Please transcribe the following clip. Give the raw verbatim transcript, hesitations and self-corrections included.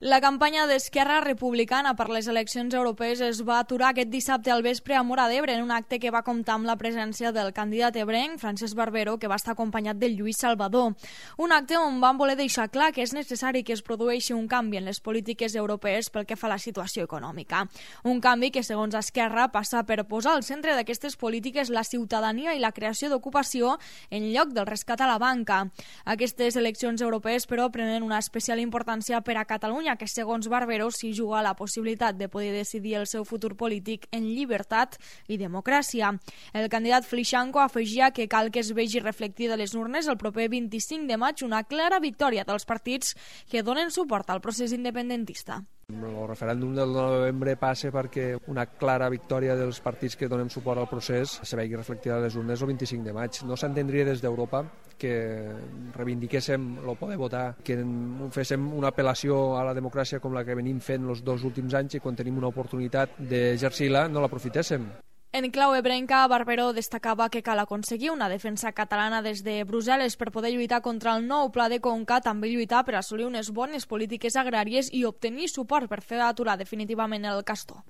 La campanya d'Esquerra Republicana per les eleccions europees es va aturar aquest dissabte al vespre a Móra d'Ebre en un acte que va comptar amb la presència del candidat ebrenc, Francesc Barbero, que va estar acompanyat de Lluís Salvador. Un acte on van voler deixar clar que és necessari que es produeixi un canvi en les polítiques europees pel que fa a la situació econòmica. Un canvi que, segons Esquerra, passa per posar al centre d'aquestes polítiques la ciutadania i la creació d'ocupació en lloc del rescat a la banca. Aquestes eleccions europees, però, prenen una especial importància per a Catalunya, que segons Barbero s'hi juga la possibilitat de poder decidir el seu futur polític en llibertat i democràcia. El candidat Flischanko afegia que cal que es vegi reflectida a les urnes el proper vint-i-cinc de maig una clara victòria dels partits que donen suport al procés independentista. El referèndum del novembre passa perquè una clara victòria dels partits que donem suport al procés se vegi reflectida a les urnes el vint-i-cinc de maig. No s'entendria des d'Europa que reivindiquéssim el poder votar, que féssim una apel·lació a la democràcia com la que venim fent els dos últims anys i quan tenim una oportunitat d'exercir-la no l'aprofitéssim. En clau ebrenca, Barbero destacava que cal aconseguir una defensa catalana des de Brussel·les per poder lluitar contra el nou pla de Conca, també lluitar per assolir unes bones polítiques agràries i obtenir suport per fer aturar definitivament el castor.